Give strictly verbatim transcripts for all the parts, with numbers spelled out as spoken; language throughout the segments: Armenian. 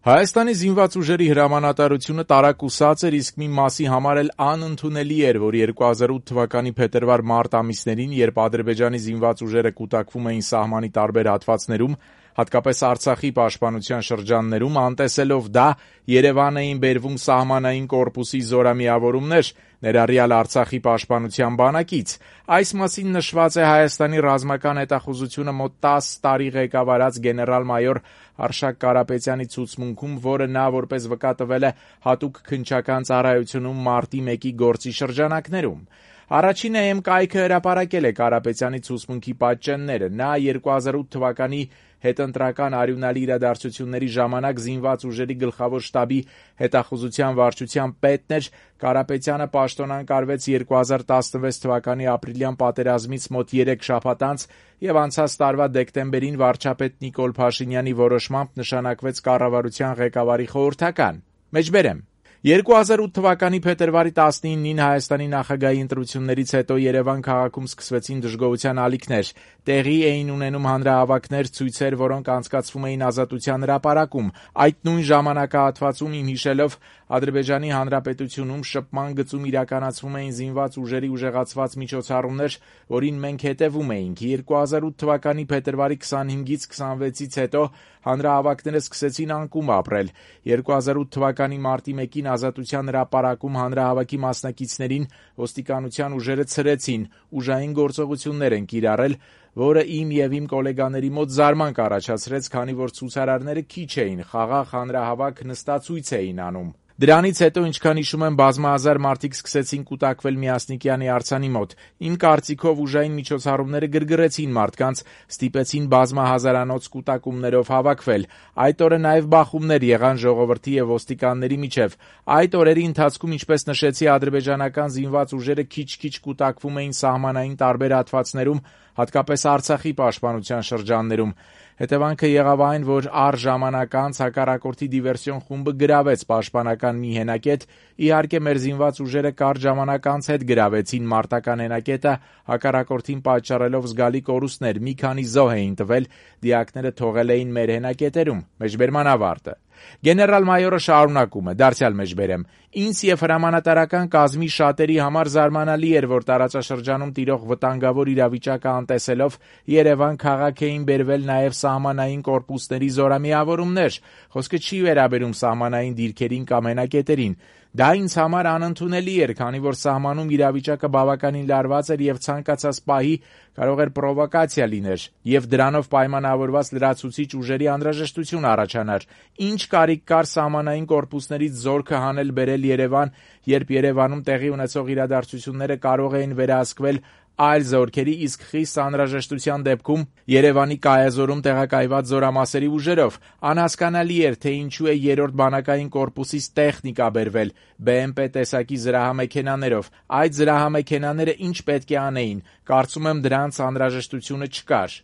Հայաստանի զինված ուժերի հրամանատարությունը տարակուսած էր, իսկ մի մասի համար էլ անընդունելի էր, որ երկու հազար ութ թվականի փետրվար-մարտ ամիսներին, երբ Ադրբեջանի զինված ուժերը կուտակվում էին սահմանի տարբեր հատվածներում, հատկապես Արցախի պաշտպանության շրջաններում, անտեսելով դա, Երևան էին բերվում սահմանային կորպուսի զորամիավորումներ, ներառյալ Արցախի պաշտպանության բանակից։ Այս մասին նշված է Հայաստանի ռազմական հետախուզությունը մոտ տասը տարի ղեկավարած գեներալ-մայոր Արշակ Կարապետյանի ցուցմունքում, որը նա որպես վկա տվել է հատուկ քննչական ծառայությունում մարտի մեկի գործի շրջանակներում։ Առաջին Է Էմ կայքը հրապարակել է Կարապետյանի ցուցմունքի պատճենները։ Նա երկու հազար ութ թվականի հետընտրական արյունալի իրադարձությունների ժամանակ զինված ուժերի գլխավոր շտաբի հետախուզության վարչության պետն էր։ Կարապետյանը պաշտոնանկարվեց երկու հազար տասնվեց թվականի ապրիլյան պատերազմից մոտ երեք շաբաթ անց եւ անցած տարվա դեկտեմբերին վարչապետ Նիկոլ Փաշինյանի որոշմամբ նշանակվեց կառավարության ղեկավարի խորհրդական։ Մեջբերեմ երկու հազար ութ թվականի փետրվարի տասնինին Հայաստանի նախագահի ընտրություններից հետո Երևան քաղաքում սկսվեցին դժգոհության ալիքներ։ Տեղի էին ունենում հանրահավաքներ, ցույցեր, որոնք անցկացվում էին Ազատության հրապարակում։ Այդ նույն ժամանակահատվածում, իմ հիշելով, Ադրբեջանի Հանրապետությունում շփման գծում իրականացվում էին զինված ուժերի ուժեղացված միջոցառումներ, որին մենք հետևում էինք։ երկու հազար ութ թվականի փետրվարի քսանհինգից քսանվեցից հետո հանրահավաքները սկսեցին անկում ապրել։ երկու հազար ութ թվականի մարտի մեկին Ազատության հրապարակում հանրահավաքի մասնակիցներին ոստիկանության ուժերը ցրեցին, ուժային գործողություններ են կիրառել, որը իմ եւ իմ գոլեգաների մոտ զարմանք առաջացրեց, քանի որ ցուցարարները քիչ էին, խաղաղ հանրահավաք նստացույց էին անում։ Դրանից հետո, ինչքան հիշում եմ, բազմահազար մարդիկ սկսեցին կուտակվել Միասնիկյանի արձանի մոտ։ Իմ կարծիքով ուժային միջոցառումները գրգռեցին մարդկանց, ստիպեցին բազմահազարանոց կուտակումներով հավաքվել։ Այդ օրը նաև բախումներ եղան ժողովրդի եւ ոստիկանների միջև։ Այդ օրերի ընթացքում, ինչպես նշեցի, ադրբեջանական զինված ուժերը քիչ-քիչ կուտակվում էին սահմանային տարբեր հատվածներում, հատկապես Արցախի պաշտպանության շրջաններում։ Հետևանքը եղավ այն, որ առ ժամանակ անց հակառակորդի դիվերսիոն խումբը գրավեց պաշտպանական մի հենակետ։ Իհարկե, մեր զինված ուժերը կարճ ժամանակ անց հետ գրավեցին մարտական հենակետը, հակառակորդին պատճառելով զգալի կորուստներ։ Մի քանի զոհ էին տվել, դիակները թողել էին մեր հենակետերում։ Մեջբերման ավարտը։ Գեներալ-մայորը շարունակում է. դարձյալ մեջբերեմ. Ինձ եւ հրամանատարական կազմի շատերի համար զարմանալի էր, որ տարածաշրջանում տիրող վտանգավոր իրավիճակը անտեսելով Երևան քաղաք էին բերվել նաեւ սահմանային կորպուսների զորամիավորումներ։ Խոսքը չի վերաբերում սահմանային դիրքերին կամ հենակետերին։ Դա ինձ համար անընդունելի էր, քանի որ սահմանում իրավիճակը բավականին լարված էր եւ ցանկացած պահի կարող էր պրովոկացիա լիներ եւ դրանով պայմանավորված լրացուցիչ ուժերի անհրաժեշտություն առաջանար։ Ինչ կարիք կար սահմանային կորպուսներից զորքը հանել բերել Երևան, երբ Երևանում տեղի ունեցող իրադարձությունները կարող էին վերահսկվել այլ զորքերի, իսկ խիստ անհրաժեշտության դեպքում Երևանի կայազորում տեղակայված զորամասերի ուժերով։ Անհասկանալի էր, թե ինչու է երրորդ բանակային կորպուսից տեխնիկա բերվել Բե Էմ Պե տեսակի զրահամեքենաներով։ Այդ զրահամեքենաները ինչ պետք է անեին։ Կարծում եմ դրանց անհրաժեշտությունը չկար։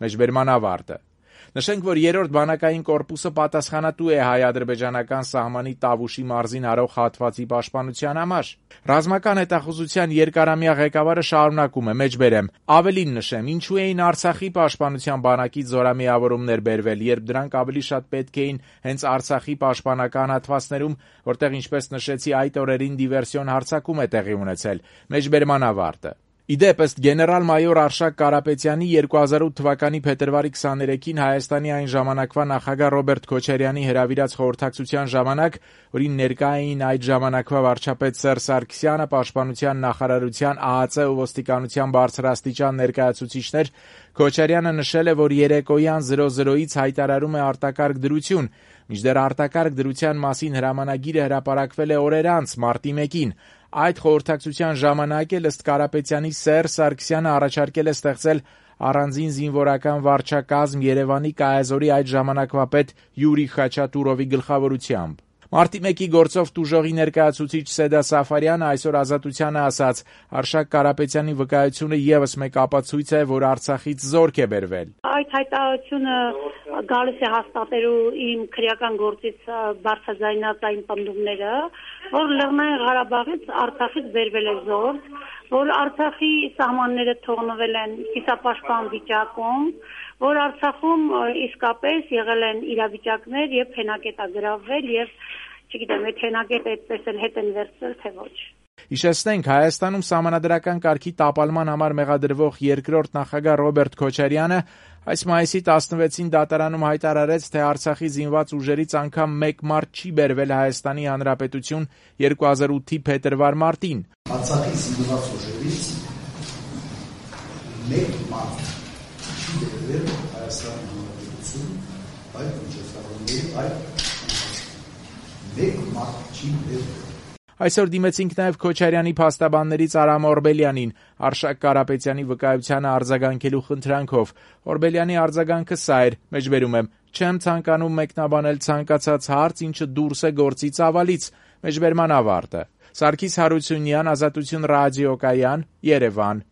Մեջբերման ավարտը։ Նշենք, որ երրորդ բանակային կորպուսը պատասխանատու է հայ-ադրբեջանական սահմանի Տավուշի մարզին հարող հատվածի պաշտպանության համար։ Ռազմական հետախուզության երկարամյա ղեկավարը շարունակում է. մեջբերեմ. ավելին նշեմ, ինչու էին Արցախի պաշտպանության բանակից զորամիավորումներ բերվել, երբ դրանք ավելի շատ պետք էին հենց Արցախի պաշտպանական հատվածներում, որտեղ, ինչպես նշեցի, այդ օրերին դիվերսիոն հարձակում է տեղի ունեցել։ Մեջբերման ավարտը։ Իդեպ, ըստ գեներալ-մայոր Արշակ Կարապետյանի երկու հազար ութ թվականի փետրվարի քսաներեքին Հայաստանի այն ժամանակվա նախագահ Ռոբերտ Քոչարյանի հրավիրած խորհրդակցության ժամանակ, որին ներկա էին այդ ժամանակվա վարչապետ Սերժ Սարգսյանը, պաշտպանության նախարարության, Ա Ա Ծ ու ոստիկանության բարձրաստիճան ներկայացուցիչներ, Քոչարյանը նշել է, որ երեկոյան զրո զրոից հայտարարում է արտակարգ դրություն, մինչդեռ արտակարգ դրության մասին հրամանագիրը հրապարակվել է օրեր անց, մարտի մեկին։ Այդ խորհրդակցության ժամանակ էլ ըստ Կարապետյանի Սերժ Սարգսյանը առաջարկել է ստեղծել առանձին զինվորական վարչակազմ Երևանի կայազորի այդ ժամանակվա պետ Յուրի Խաչատուրովի գլխավորությամբ։ Մարտի մեկի գործով տուժողի ներկայացուցիչ Սեդա Սաֆարյանը այսօր Ազատությանը ասաց. Արշակ Կարապետյանի վկայությունը եւս մեկ ապացույց է, որ Արցախից զորք է բերվել։ Այդ այս հայտարարությունը գալիս է հաստատելու իմ քրեական գործից բարձրաձայնած այն պնդումները, որ Լեռնային Ղարաբաղից Արցախից բերվել է զորք, որ Արցախի սահմանները թողնվել են կիսապաշտպան վիճակում, որ Արցախում իսկապես եղել են իրավիճակներ, երբ հենակետ է գրավվել եւ չգիտեմ, այդ հենակետը այդպես էլ հետ են վերցրել, թե ոչ։ Հիշեցնենք, Հայաստանում սահմանադրական կարգի տապալման համար մեղադրվող երկրորդ նախագահ Ռոբերտ Քոչարյանը այս մայիսի տասնվեցին դատարանում հայտարարեց, թե Արցախի զինված ուժերից անգամ մեկ մարդ չի բերվել Հայաստանի Հանրապետություն երկու հազար ութի փետրվար-մարտին։ Արցախի զինված ուժերից մեկ մարդ չի բերվել Հայաստանի Հանրապետություն, այդ միջոցառումների այդ մեկ մարդ չի բերվել։ Այսօր դիմեցինք նաև Քոչարյանի փաստաբաններից Արամ Օրբելյանին, Արշակ Կարապետյանի վկայությանը արձագանքելու խնդրանքով։ Օրբելյանի արձագանքը սա էր, մեջբերում եմ. «Չեմ ցանկանում մեկնաբանել ցանկացած հարց, ինչը դուրս է գործի ծավալից», մեջբերման ավարտը։ Սարգիս Հարությունյան, Ազատություն ռադիոկայան, Երևան։